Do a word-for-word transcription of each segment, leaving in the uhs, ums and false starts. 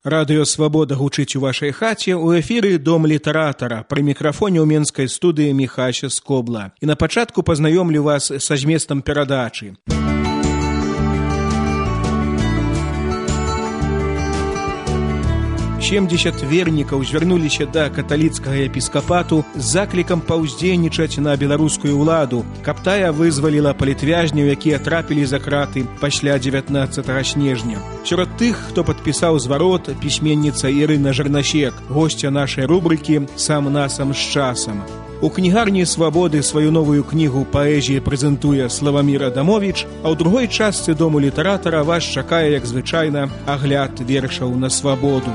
Радыё «Свабода» гучыць у вашай хаце, у эфіры «Дом літаратара», пры мікрафоне ў менскай студыі Міхася Скобла. І на пачатку пазнаёмлю вас са зместам перадачы. семьдесят вернікаў звярнуліся да каталіцкага епіскапату з заклікам паўздзейнічаць на беларускую ўладу, каб тая вызваліла палітвязняў, якія трапілі за краты пасля дзевятнаццатага снежня. Сярод тых, хто падпісаў зварот, пісьменніца Ірына Жарнасек, госця нашай рубрыкі «Сам насам з часам». У кнігарні «Свабоды» сваю новую кнігу паэзіі прэзентуе Славамір Адамовіч, а ў другой частцы «Дому літаратара» вас чакае, як звычайна, агляд вершаў на свабоду.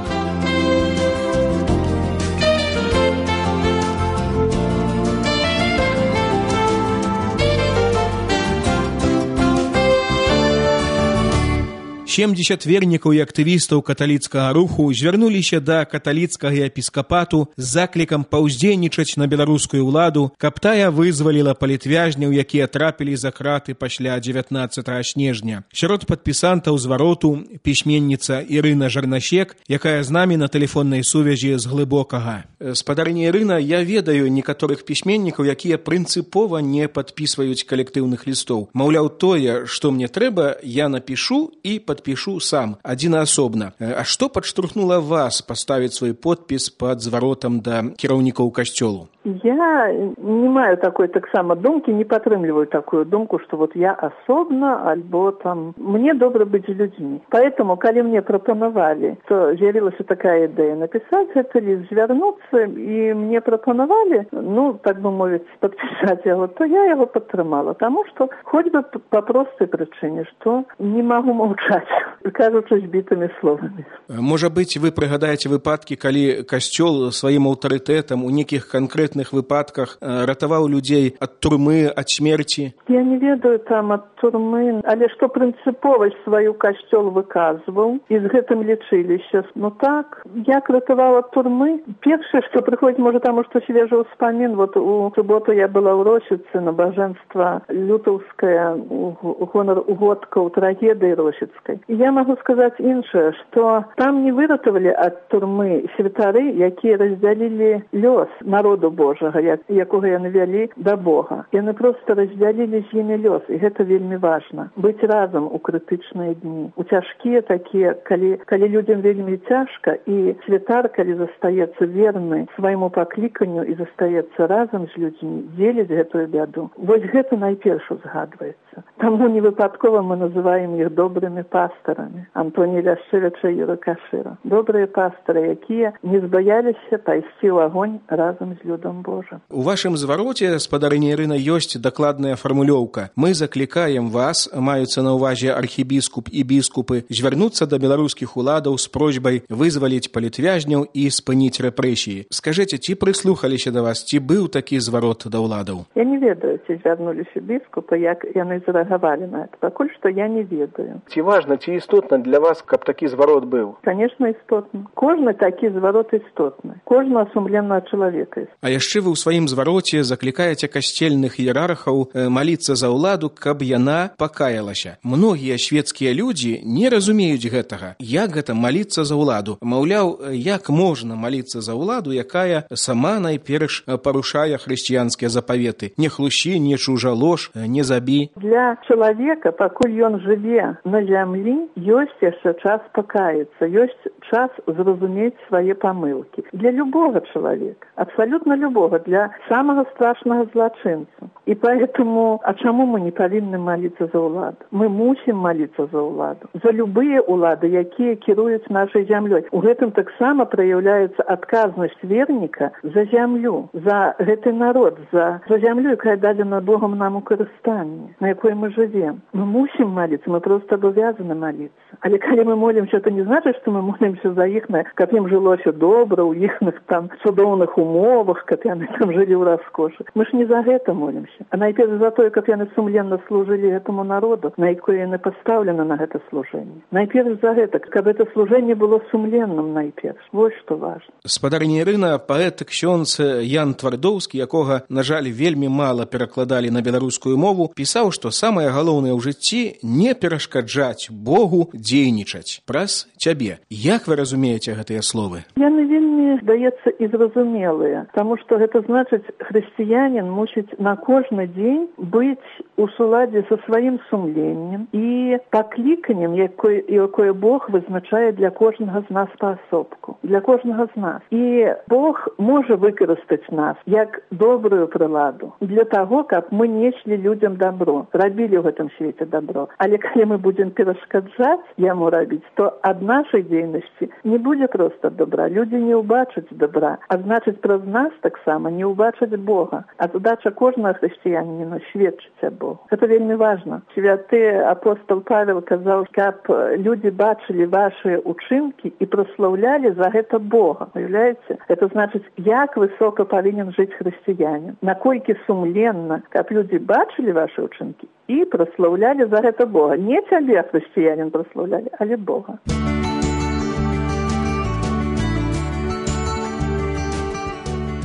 семьдесят вернікаў і актывістаў каталіцкага руху звярнуліся да каталіцкага епіскапату з заклікам паўздзейнічаць на беларускую ўладу, каб тая вызваліла палітвязняў, якія трапілі за краты пасля дзевятнаццатага снежня. Сярод падпісантаў звароту пісьменніца Ірына Жарнасек, якая з намі на тэлефоннай сувязі з глыбокага. Спадарыня Ірына, я ведаю некаторых пісьменнікаў, якія прынцыпова не падпісваюць калектыўных лістоў. Маўляў, тое, што мне трэба, я напішу і падпішу пишу сам, адзінаасобна. А што падштурхнула вас паставіць свой подпіс пад зваротам да кіраўнікоў касцёлу? Я не маю такой таксама думкі, не падтрымліваю такую думку, что вот я асобна, альбо там... Мне добра быць з людзьмі. Поэтому, калі мне прапанавалі, то з'явілася такая ідэя напісаць гэты ліст, звярнуцца, і мне прапанавалі, ну, так бы мовіць, падпісаць яго, то я яго падтрымала, таму што хоць бы па простай прычыне, што не магу маўчаць, кажучы збітымі словамі. Можа быць, вы прыгадаеце выпадкі, калі касцёл сваім аўтарытэтам у нейкіх канкрэтных выпадках ратаваў людзей ад турмы, ад смерці? Я не ведаю там ад турмы, але што прынцыповасць сваю касцёл выказваў, і з гэтым лічыліся. Ну так, як ратаваў ад турмы? Першае, што прыходзіць, можа, таму, што свежы ўспамін, вот у суботу я была ў Росіцы, набажэнства лютаўскае, у гонар угодкаў трагедыі Росіцкай. І я магу сказаць іншае, што там не выратавалі ад турмы святары, якія раздзялілі лёс народу Божага, як, якога яны вялі да Бога. Яны проста раздзялілі з імі лёс, і гэта вельмі важна. Быць разам у крытычныя дні. У цяжкія такія, калі, калі людзям вельмі цяжка, і святар, калі застаецца верны свайму пакліканню і застаецца разам з людзьмі, дзеліць гэтую бяду. Вось гэта найперш узгадваецца. Таму невыпадкова мы называем іх добрымі пастарамі. Антоній Ляшчэвіча і Юра Кашыра. Добрыя пастары, якія не збаяліся пайсці ў агонь разам з людом Божым. У вашым звароце, спадарыня Ірына, ёсць дакладная фармулёўка. Мы заклікаем вас, маюцца на ўвазе архібіскуп і біскупы, звярнуцца да беларускіх уладаў з просьбай вызваліць палітвязняў і спыніць рэпрэсіі. Скажыце, ці прыслухаліся да вас, ці быў такі зварот да ўладаў? Я не ведаю, ці звярнуліся біскупы, як яны зарэагавалі на это. Пакуль што я не ведаю. Ці важна, ці істотна для вас, каб такі зварот быў? Конечно, істотна. Кожны такі зварот істотны. Кожны асумленна чалавека. А яшчэ вы ў сваім звароце заклікаеце касцельных іерархаў маліцца за ўладу, каб яна пакаялася. Многія свецкія людзі не разумеюць гэтага. Як гэта маліцца за ўладу? Маўляў, як можна маліцца за ўладу, якая сама найперш парушае хрысціянскія запаветы? Не хлусі, не чужалож, не забі. Для чалавека, пакуль ён жыве на зямлі, ёсць яшчэ час пакаяцца, ёсць час зразумець свае памылкі. Для любога чалавека, абсолютно любого, для самого страшного злочинца. И поэтому, а чему мы не повинны молиться за уладу? Мы мусим молиться за уладу. За любые улады, якія кіруюць нашей землей. У гэтым таксама проявляется отказность верника за землю, за гэты народ, за, за землю, якая дадена Богом нам у карыстанні, на якой мы живем. Мы мусим молиться, мы просто обязаны молиться. Але калі мы молимся, это не значит, что мы молимся за іх, каб ім жылося добра, у іхных там цудоўных умовах, каб яны там жылі ў раскошы. Мы ж не за гэта молимся, а найперш за тое, каб яны сумленна служылі гэтаму народу, на якое яны пастаўлены на гэта служэнне. Найперш за гэта, каб гэта служэнне было сумленным найперш. Вось што важна. Спадарыня Ірына, паэт ксёндз Ян Твардоўскі, якога, на жаль, вельмі мала перакладалі на беларускую мову, пісаў, што самае галоўнае ў жыцці не перашкаджаць Богу дзейнічаць праз цябе. Як вы разумееце гэтыя словы? Яны вельмі, здаецца, і зразумелыя, таму што гэта значыць, хрысціянін мусіць на кожны дзень быць у суладзе са сваім сумленнем і пакліканнем, якое, якое Бог вызначае для кожнага з нас паасобку, для кожнага з нас. І Бог можа выкарыстаць нас як добрую прыладу для таго, каб мы неслі людзям добро, рабілі ў гэтым свеце добро. Але калі мы будзем перашкаджаць яму рабіць, то ад нашай дзейнасці не будзе проста добра. Людзі не ўбачаць добра, а значыць, праз нас таксама не ўбачаць Бога. А задача кожнага хрысціяніна сведчыць аб Богу. Гэта вельмі важна. Святы апостол Павел казаў, каб людзі бачылі вашыя учынкі і праслаўлялі за гэта Бога. Уяўляеце? Гэта значыць, як высока павінен жыць хрысціянін. Наколькі сумленна, каб людзі бачылі вашы учынкі і праслаўлялі за гэта Бога. Не цябе, хрысціянін, праслаўлялі, але Бога.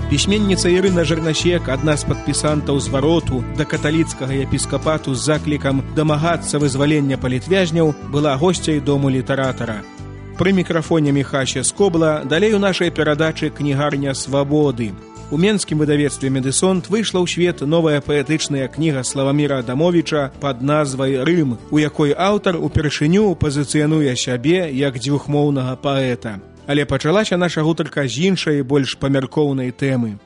Пісьменніца Ірына Жырнасек, адна з падпісантаў звароту да каталіцкага епіскапату з заклікам дамагацца вызвалення палітвязняў, была госцяй дому літаратара. Пры мікрафоне Міхася Скобла, далей у нашай перадачы «Кнігарня свабоды». У менскім выдавецтве «Медысонт» выйшла ў свет новая паэтычная кніга Славаміра Адамовіча пад назвай «Рым», у якой аўтар упершыню пазіцыянуе сябе як дзвюхмоўнага паэта. Але пачалася наша гутарка з іншай, больш памяркоўнай тэмы.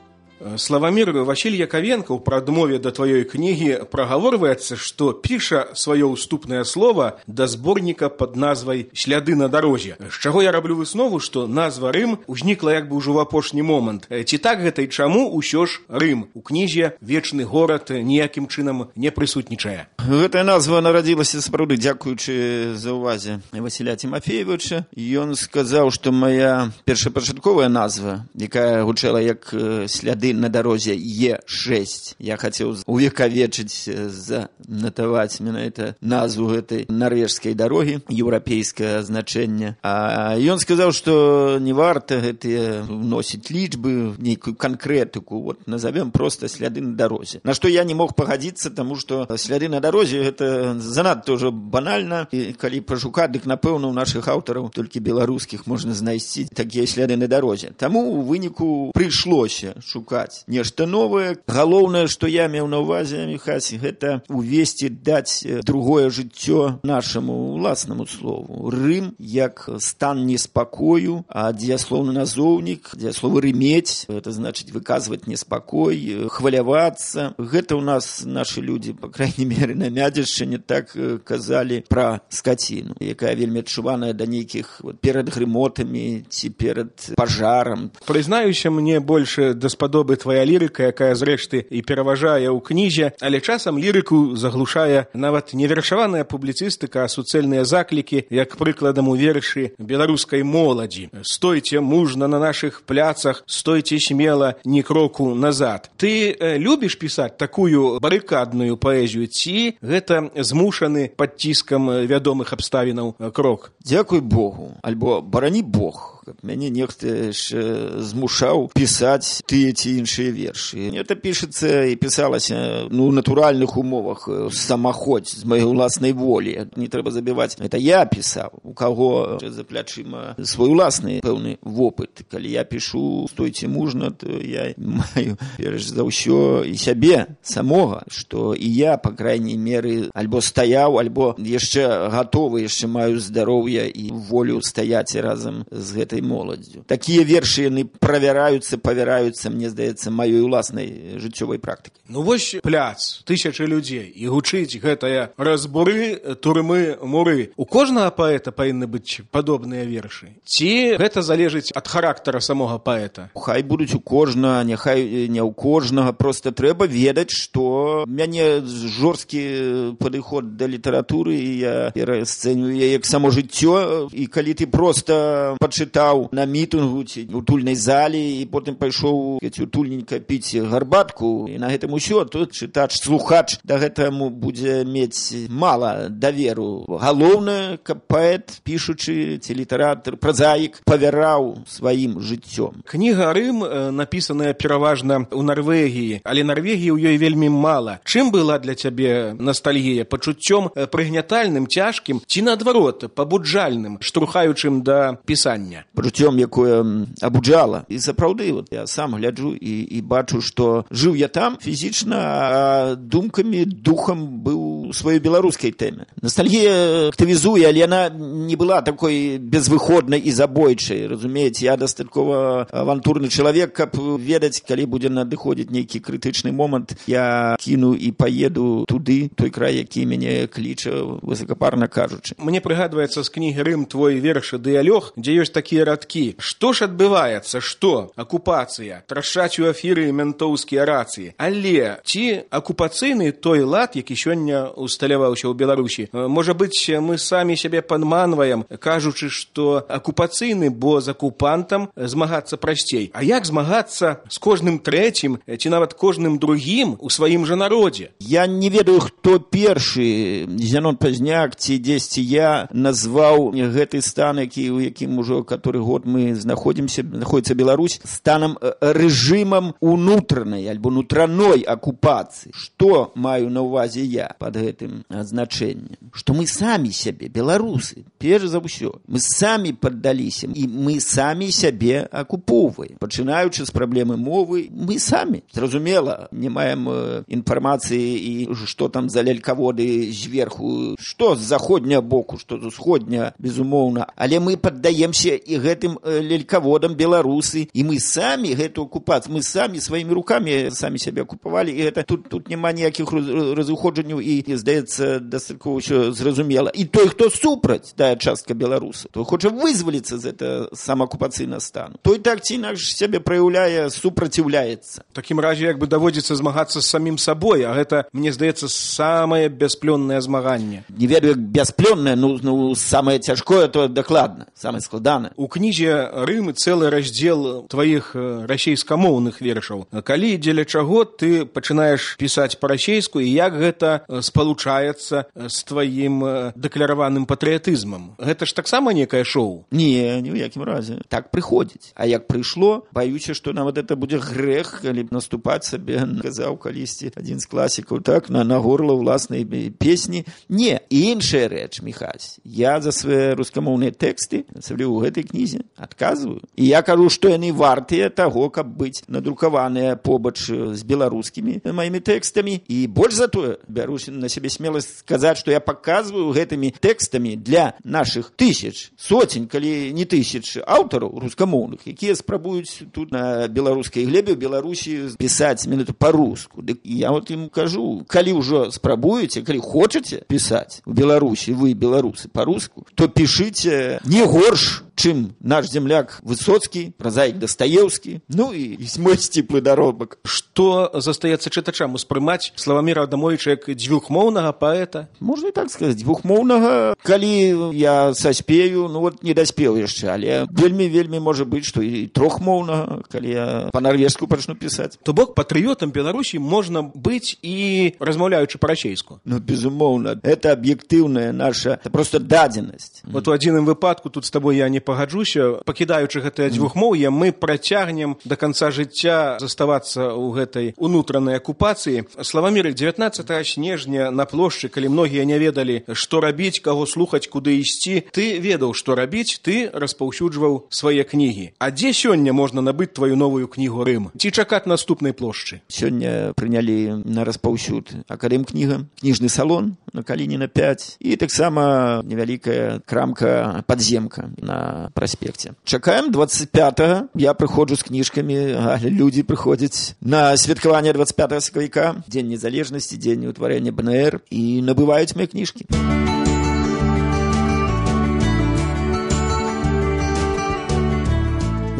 Славамір, Васіль Яковенко ў прадмове да тваёй кнігі прагаворваецца, што піша сваё ўступнае слова да зборніка пад назвай «Сляды на дарозе». З чаго я раблю выснову, што назва «Рым» узнікла як бы ўжо ў апошні момант. Ці так гэта і чаму ўсё ж Рым? У кнізе вечны горад ніякім чынам не прысутнічае. Гэтая назва нарадзілася сапраўды дзякуючы за ўвазе Васіля Тимофеевича. Ён сказаў, што моя першапачатковая назва, якая гучала як «Сляды на дорозе Е шесть». Я хотел увековечить, занотовать менавіта назву этой норвежской дороги, европейское значение. А он сказал, что не варто это вносить личбы, некую конкретику, вот назовем просто «Сляды на дорозе». На что я не мог погодиться, потому что «Сляды на дорозе» это занадто тоже банально, и коли пошукать, так напэўна у наших авторов, только белорусских, можно знайсці такие «Сляды на дорозе». Тому у выніку пришлося шукать нешта новае. Галоўнае, што я меў на ўвазе, Міхась, гэта увесці, даць другое жыццё нашаму уласнаму слову. Рым як стан неспакою, а дзеяслоўны назоўнік, дзеяслова рымець, это значыць выказваць неспакой, хвалявацца. Гэта ў нас нашы людзі, па крайней мере, на Мядзельшчыне так казалі пра скаціну, якая вельмі адчуваная да нейкіх вот, перад грымотамі ці перад пажарам. Прызнаюся, мне больше даспадобы твоя лірыка, якая зрэшты і пераважае ў кнізе, але часам лірыку заглушае нават не вершаваная публіцыстыка, а суцэльныя заклікі, як прыкладам у вершы беларускай моладзі. «Стойце мужна на нашых пляцах, стойце смела, ні кроку назад». Ты э, любіш пісаць такую барыкадную паэзію, ці гэта змушаны пад ціскам вядомых абставінаў крок? Дзякуй Богу, альбо барані Бог. Мяне нехта змушаў пісаць тыя ці іншыя вершы. Это пішацца і пісалася ну, ў натуральных умовах, самаходь з маёй уласнай волі. Не трэба забіваць. Это я пісаў, у каго за плячыма свой уласны пэўны вопыт. Калі я пішу «Стойце мужна», то я маю перш за ўсё і сябе самога, што і я, па крайней меры, альбо стаяў, альбо яшчэ гатовы, яшчэ маю здароўе і волю стаяць разам з гэтай моладзю. Такія вершы яны правяраюцца, павяраюцца, мне здаецца, маёй уласнай жыццёвай практыкай. Ну вось пляц, тысячы людзей, і гучыць гэтая разбуры, турмы, муры. У кожнага паэта павінны быць падобныя вершы? Ці гэта залежыць ад характара самога паэта? Хай будуць у кожнага, няхай не ў кожнага, проста трэба ведаць, што мяне жорсткі падыход да літаратуры, і я пераацэньваю яе як само жыццё, і калі ты проста пачытаеш стаў на мітынгу ці у тульнай зале і потым пайшоў утульненька піць гарбатку, і на гэтым усё, то чытач, слухач да гэтаму будзе мець мала даверу. Галоўнае, каб паэт, пішучы ці літаратар, празаік павяраў сваім жыццём. Кніга «Рым» напісаная пераважна ў Нарвегіі, але Нарвегіі ў ёй вельмі мала. Чым была для цябе ностальгія? Пачуццём прыгнятальным, цяжкім ці, наадварот, пабуджальным, штурхаючым да пісання? Пачуццём, якое абуджала. І сапраўды, вот я сам гляджу і, і бачу, што жыў я там фізічна, а думкамі, духам быў у сваёй беларускай тэме. Ностальгія актывізуе, але яна не была такой безвыходнай і забойчай. Разумееце, я дастаткова авантурны чалавек, каб ведаць, калі будзе надыходзіць нейкі крытычны момант, я кіну і паеду туды, той край, які мяне кліча, высокапарна кажучы. Мне прыгадваецца з кнігі «Рым» твой верш «Дыялог», дзе ёсць такія радкі. Што ж адбываецца? Што? Акупацыя. Трашчаць у эфіры ментоўскія рацыі. Але ці акупацыйны той лад, які сёння усталяваўся ў Беларусі? Можа быць, мы самі сябе падманваем, кажучы, што акупацыйны, бо з акупантам змагацца прасцей. А як змагацца з кожным трэцім ці нават кожным другім у сваім жа народзе? Я не ведаю, хто першы, Зянон Пазняк ці дзесьці я назваў гэты стан, які, у якім ужо каторы год мы знаходзімся, знаходзіцца Беларусь, станам рэжымам унутранай альбо нутраной акупацыі. Што маю на ўвазе я пад гэтым азначэннем? Што мы самі сябе, беларусы, перш за ўсё, мы самі паддаліся, і мы самі сябе акупоўваем. Пачынаючы з праблемы мовы, мы самі. Зразумела, не маем інфармацыі і што там за лялькаводы зверху, што з заходняга боку, што з усходняга, безумоўна. Але мы паддаемся і гэтым лялькаводам беларусы, і мы самі гэту акупацыю, мы самі сваімі рукамі самі сябе акупавалі, і гэта тут, тут няма ніякіх разыходжанняў, і, здаецца, дастаткова ўсё зразумела. І той, хто супраць, тая частка беларусаў, той хоча вызваліцца з гэта самаакупацыйнага стану. Той так ці інакш сябе праяўляе, супраціўляецца. В такім разе, як бы даводзіцца змагацца з самім сабой, а гэта, мне здаецца, самае бясплённае змаганне. Не ведаю, як бясплённае, ну, ну самае цяжкое, то дакладна, самае складанае. У кнізе «Рым» цэлы раздзел тваіх расейскамоўных вершаў. Калі, дзеля чаго ты пачынаеш пісаць па-расейску, і як гэта спалучаецца з тваім дэклараваным патрыятызмам? Гэта ж таксама некае шоу? Не, ні ў якім разе. Так прыходзіць. А як прыйшло, баюся, што нават это будзе грэх, калі б наступаць сабе, казаў калісьці адзін з класікаў, так, на, на горла ўласнай песні. Не, і іншая рэч, Міхась. Я за свае рускамоўныя тэксты, асабліва ў гэтай кнізе, адказваю. І я кажу, што яны вартыя таго, каб быць надрукаваныя побач з беларускімі маімі тэкстамі. І больш за тое, бярусь на сябе смеласць сказаць, што я паказваю гэтымі тэкстамі для нашых тысяч, соцень, калі не тысяч аўтараў рускамоўных, якія спрабуюць тут на беларускай глебе ў Беларусі пісаць менавіта па-руску. Дык я вот ім кажу, калі ўжо спрабуеце, калі хочаце пісаць у Беларусі, вы, беларусы, па-руску, то пішыце не горш, чым наш земляк Высоцкі, празаік Дастаеўскі, ну і, і мой сціплы даробак. Што застаецца чытачам успрымаць Славаміра Адамовіча як дзвюхмоўнага паэта? Можна і так сказаць, дзвюхмоўнага, калі я саспею, ну вот не даспеў яшчэ, але вельмі-вельмі можа быць, што і трохмоўнага, калі я па-нарвежску пачну пісаць. То бок патрыётам Беларусі можна быць і размаўляючы па-расейску? Ну, безумоўна, это аб'ектыўная наша, это просто дадзенасць. Вот у адзіным выпадку тут з табой я не пагаджуся, пакідаючы гэтае дзвюхмоўе, мы працягнем да канца жыцця заставацца ў гэтай унутранай акупацыі. Славамір, дзевятнаццатага снежня на плошчы, калі многія не ведалі, што рабіць, каго слухаць, куды ісці, ты ведаў, што рабіць, ты распаўсюджваў свае кнігі. А дзе сёння можна набыць тваю новую кнігу «Рым»? Ці чакаць наступнай плошчы? Сёння прынялі на распаўсюд акадэмкніга, кніжны салон на Калініна пяць і таксама невялікая крамка «Падземка» на праспекце. Чакаем двадцать пятага. Я прыходжу з кніжкамі, а людзі прыходзяць на святкаванне двадцать пятага сакавіка, дзень незалежнасці, дзень утварэння бэ эн эр, і набываюць мае кніжкі.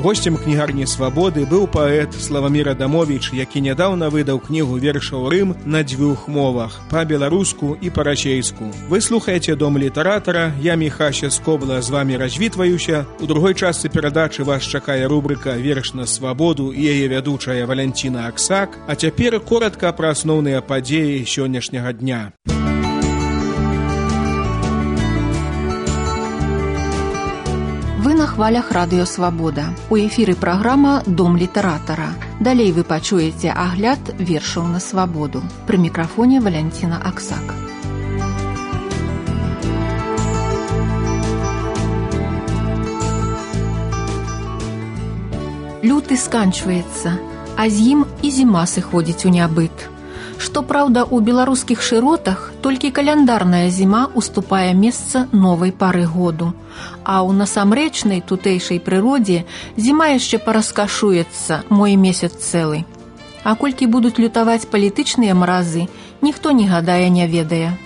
Гостем кнігарні «Свабоды» быў паэт Славамір Адамовіч, які нядаўна выдаў кнігу вершаў «Рым» на дзвюх мовах – па-беларуску і па-расейску. Вы слухаеце «Дом літаратара», я Міхася Скобла з вамі развітваюся. У другой частцы перадачы вас чакае рубрика «Верш на свабоду» і яе вядучая Валянціна Аксак. А цяпер коратка пра асноўныя падзеі сённяшняга дня. Вы на хвалях радыё «Свабода». У эфіры праграма «Дом літаратара». Далей вы пачуеце агляд вершаў на свабоду. Пры мікрафоне Валянціна Аксак. Люты сканчваецца, а з ім і зіма сыходзіць у нябыт. Што праўда, у беларускіх шыротах толькі каляндарная зіма уступае месца новай пары году, а ў насамрэчнай тутэйшай прыродзе зіма яшчэ параскашуецца мой месяц цэлы. А колькі будуць лютаваць палітычныя маразы, ніхто не гадае не ведае.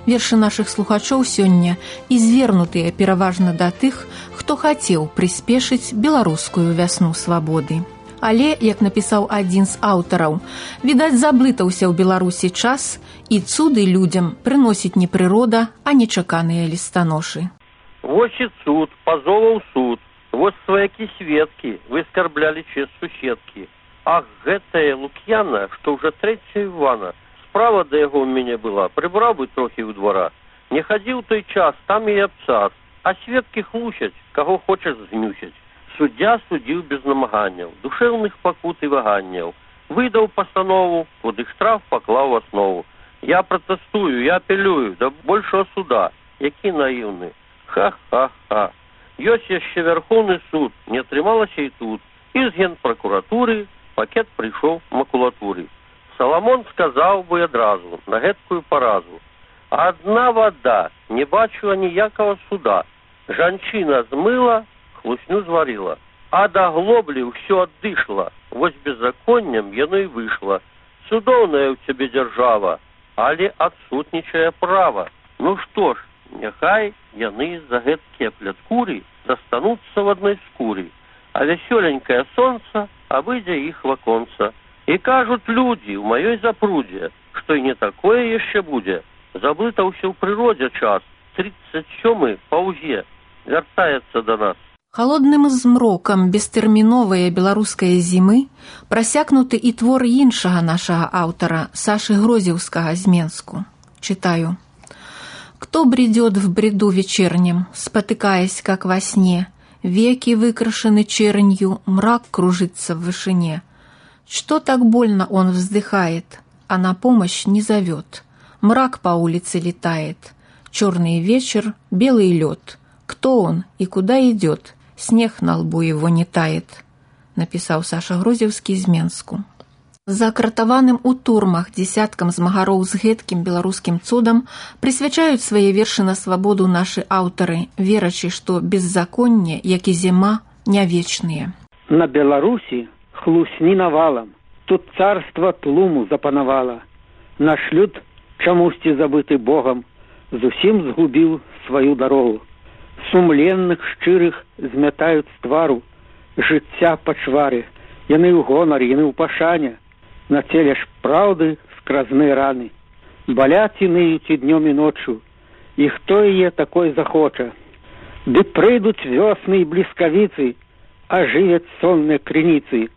Вершы нашых слухачоў сёння і звернутыя пераважна да тых, хто хацеў прыспешыць беларускую вясну свабоды. Але, як напісаў адзін з аўтараў, відаць, заблытаўся ў Беларусі час, і цуды людзям прыносіць не прырода, а нечаканыя лістаношы. Вось і цуд, пазоваў суд, вось сваякі-сведкі, вы скарблялі честь суседкі. Ах, гэтая Лук'яна, што ўжо трэця Івана, справа да яго ў мяне была, прыбраў бы трохі ў двара. Не хадзіў той час, там і абцас, а сведкі хлусяць, каго хочаш змюсяць. Суддзя судзіў без намаганняў, душэўных пакут і ваганняў. Выдаў пастанову, куды штраф паклаў аснову. Я пратэстую, я апелюю да большого суда. Які наіўны. Ха-ха-ха. Ёсць яшчэ вярхоўны суд, не атрымалася і тут. І з генпракуратуры пакет прыйшоў макулатуры. Саламон сказаў бы адразу на гэткую паразу. Адна вада, не бачу аніякага суда. Жанчына змыла, хлусню зварила, а да глоблі ўсё аддышла. Вось беззаконнем яно і выйшла. Цудоўная ў цябе дзяржава, але адсутнічае права. Ну што ж, няхай яны за гэткія пляткуры застануцца в адной скуры, а вясёленькае сонца абыдзе іх ваконца. І кажуць людзі ў маёй запрудзе, што і не такое яшчэ будзе. Заблытаўся ў прыродзе час, тридцать сёмы паўзе, вяртаецца да нас. Халодным змрокам бестэрміновае беларускае зімы прасякнуты і твор іншага нашага аўтара Сашы Грозевскага з Менску. Читаю. «Кто бредет в бреду вечернем, спотыкаясь, как во сне, веки выкрашены чернью, мрак кружится в вышине. Что так больно он вздыхает, а на помощь не зовет. Мрак по улице летает, черный вечер, белый лед. Кто он и куда идет? Снег на лбу его не тает», написал Саша Грозевский з Менску. Закратаваным у турмах дзесяткам змагароў з гэткім беларускім цудам прысвячаюць свае вершы на свабоду нашы аўтары, верачы, што беззаконне, як і зіма, не вечныя. На Беларусі хлусні навалам, тут царства тлуму запанавала. Наш люд, чамусьці забыты Богам, зусім згубіў сваю дарогу. Сумленных, шчырых змятаюць з твару жыцця пачвары. Яны ў гонар, яны ў пашане. На целе ж праўды скразныя раны. Баляць і ныюць і днём і ноччу. І хто яе такой захоча? Ды прыйдуць вёсны і бліскавіцы, ажывяць сонныя крыніцы.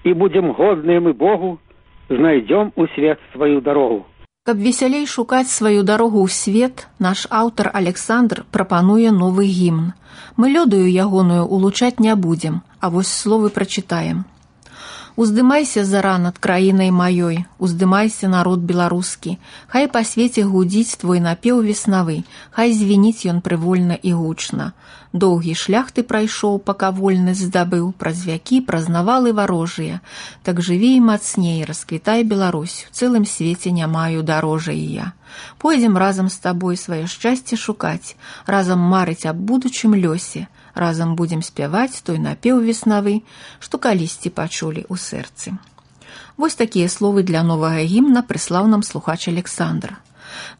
І будзем годныя мы Богу, знайдзём у свет сваю дарогу. Каб весялей шукаць сваю дарогу ў свет, наш аўтар Александр прапануе новы гімн. Мы лёдаю ягоную улучаць не будзем, а вось словы прачытаем. «Уздымайся, зара, над краінай маёй, уздымайся, народ беларускі, хай па свеце гудзіць твой напеў веснавы, хай звініць ён прывольна і гучна. Доўгі шлях ты прайшоў, пака вольнасць здабыў, праз вякі, праз навалы варожыя. Так жыві і мацней, расквітай Беларусь, у цэлым свеце не маю дарожай я. Пойдзем разам з табой сваё шчасце шукаць, разам марыць аб будучым лёсе, разам будзем спяваць той напеў веснавы, што калісьці пачулі ў сэрцы». Вось такія словы для новага гімна прыслаў нам слухач Александр.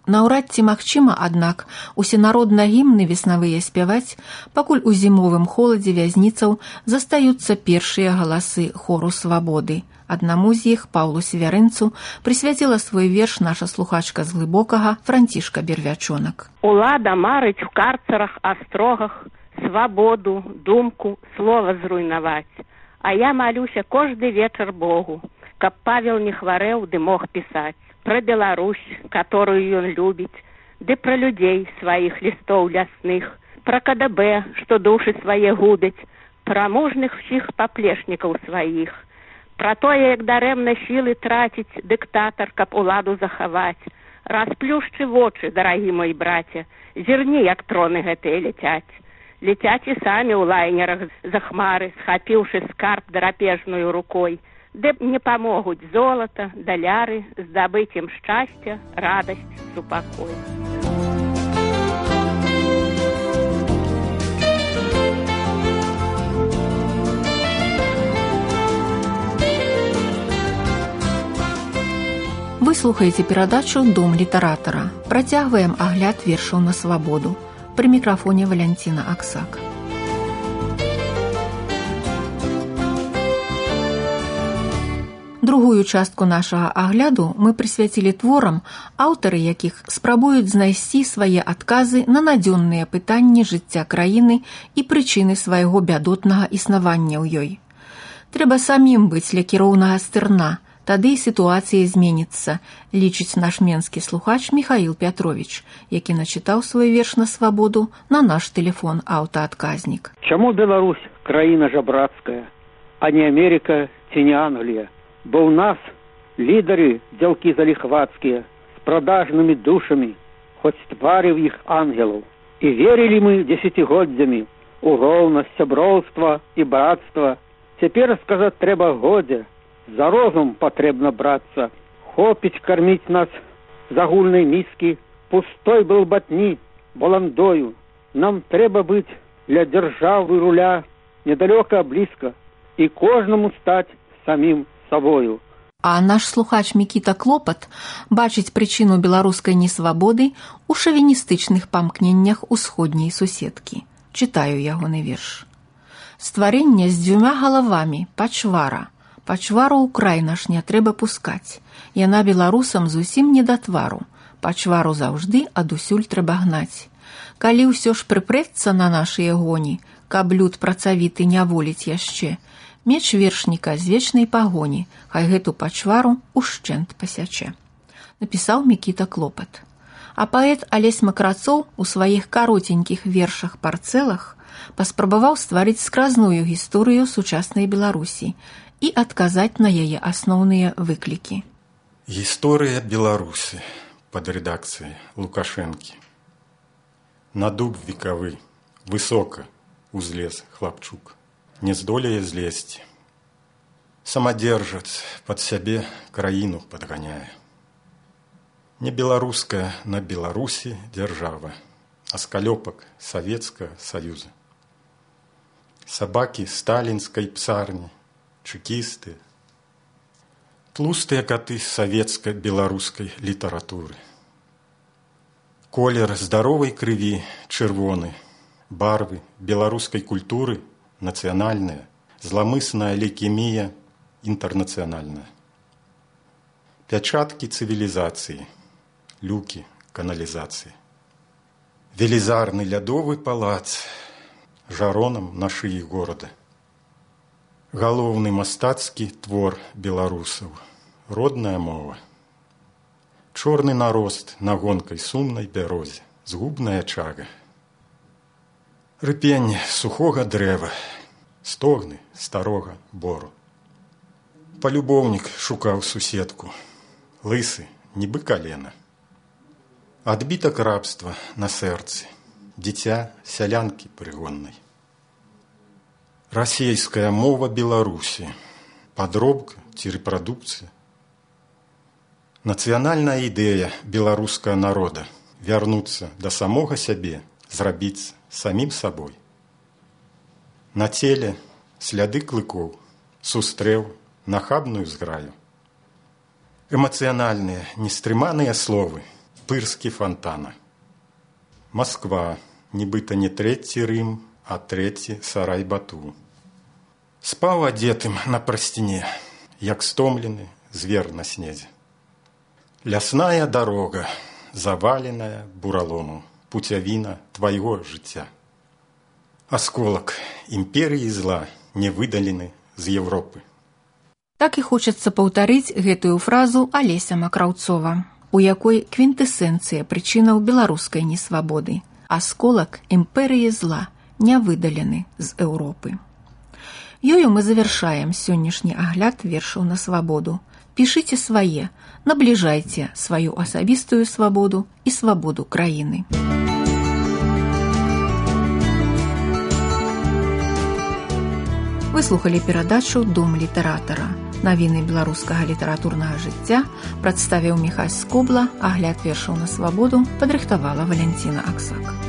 Наўрад ці магчыма, аднак, усенародна гімны веснавыя спяваць, пакуль у зімовым холадзе вязніцаў застаюцца першыя галасы хору свабоды. Аднаму з іх, Паўлу Севярынцу, прысвяціла свой верш наша слухачка з Глыбокага Францішка Бервячонак. Улада марыць в карцарах, астрогах, свабоду, думку, слова зруйнаваць. А я малюся кожны вечар Богу, каб Павел не хварэў ды мог пісаць. Пра Беларусь, которую ён любіць, ды пра людзей сваіх лістоў лясных, пра КДБ, што душы свае губяць, пра мужных ўсіх паплечнікаў сваіх, пра тое, як дарэмна сілы траціць дыктатар, каб уладу захаваць. Расплюшчы вочы, дарагі мой браце, зірні, як троны гэтыя ляцяць. Летяць і самі ў лайнерах за хмары, схапіўшы скарб драпежную рукой, ды не памогуць золата, даляры, здабыць ім шчасця, радасць, супакой. Вы слухаеце перадачу «Дом літаратара». Працягваем агляд вершаў на свабоду. Пры мікрафоне Валянціна Аксак. Другую частку нашага агляду мы прысвяцілі творам, аўтары якіх спрабуюць знайсці свае адказы на надзённыя пытанні жыцця краіны і прычыны свайго бядотнага існавання ў ёй. Трэба самім быць ля кіроўнага стырна, тады і сітуацыя зменіцца, лічыць наш менскі слухач Міхаіл Пятровіч, які начытаў свой верш на свабоду на наш тэлефон аўтаадказнік. Чаму Беларусь краіна жабрацкая, а не Америка ці не Англія? Бо ў нас лідары дзялкі заліхвацкія з продажнымі душамі, хоць тварыў іх ангелаў. І верылі мы дзесяцігоддзямі у роўнасць, сяброўства і братства. Цяпер сказаць трэба годзе, за розум патрэбна брацца. Хопіць карміць нас з агульнай міскі, пустой былбатні, баландою. Нам трэба быць для дзяржавы руля недалёка, блізка, і кожнаму стаць самім собою. А наш слухач Мікіта Клопат бачыць прычыну беларускай несвабоды ў шавіністычных памкненнях усходняй суседкі. Чытаю ягоны верш. Стварэнне з дзвюма галавамі, пачвара. Пачвару ў край наш не трэба пускаць. Яна беларусам зусім не да твару. Пачвару заўжды адусюль трэба гнаць. Калі ўсё ж прыпрэцца на нашыя гоні, каб люд працавіты не воліць яшчэ, меч вершніка з вечнай пагоні, хай гэту пачвару ушчэнт пасячэ. Напісаў Мікіта Клопат. А паэт Алесь Макрацоў у сваіх каротенькіх вершах-парцэлах паспрабаваў стварыць скразную гісторыю сучаснай Беларусі і адказаць на яе асноўныя выклікі. Гісторыя Беларусі пад рэдакцыяй Лукашэнкі. На дуб векавы, высока узлез хлапчук. Не здолее злезці. Самадзержац пад сябе краіну падганяе. Не беларуская на Беларусі дзяржава, а скалёпак Савецкага Саюза. Сабакі сталінскай псарні, чекісты, тлустыя каты савецка-беларускай літаратуры. Колер здаровай крыві чырвоны, барвы беларускай культуры нацыянальная, зламысная лейкемія інтэрнацыянальная. Пячаткі цывілізацыі, люкі каналізацыі. Велізарны лядовы палац жаронам на шыі горада. Галоўны мастацкі твор беларусаў, родная мова. Чорны нарост на гонкай сумнай бярозе, згубная чага. Рыпенне сухога дрэва, стогны старога бору. Палюбоўнік шукаў суседку, лысы, нібы калена. Адбітак рабства на сэрцы, дзіця сялянкі прыгоннай. Расейская мова Беларусі, падробка ці рэпрадукцыя. Нацыянальная ідэя беларускага народа вярнуцца да самога сябе, зрабіцца самім сабой. На целе сляды клыкоў, сустрэў нахабную зграю. Эмацыянальныя, нестрыманыя словы, пырскі фонтана. Москва, нібыта не трэці Рым, а трэці Сарай-Бату. Спаў адзетым на прасціне, як стомлены звер на снезе. Лясная дарога, заваленая буралому, пуцявіна твайго жыцця. Асколак імперыі зла не выдалены з Европы. Так і хочацца паўтарыць гэтую фразу Алеся Макраўцова, у якой квінтэсенцыя прычынаў беларускай несвабоды. Асколак імперыі зла не выдалены з Еўропы. Ёю мы завяршаем сённяшні агляд вершаў на свабоду. Пішыце свае, набліжайце сваю асабістую свабоду і свабоду краіны. Вы слухалі перадачу «Дом літаратара». Навіны беларускага літаратурнага жыцця прадставіў Міхась Скобла, агляд вершаў на свабоду падрыхтавала Валянціна Аксак.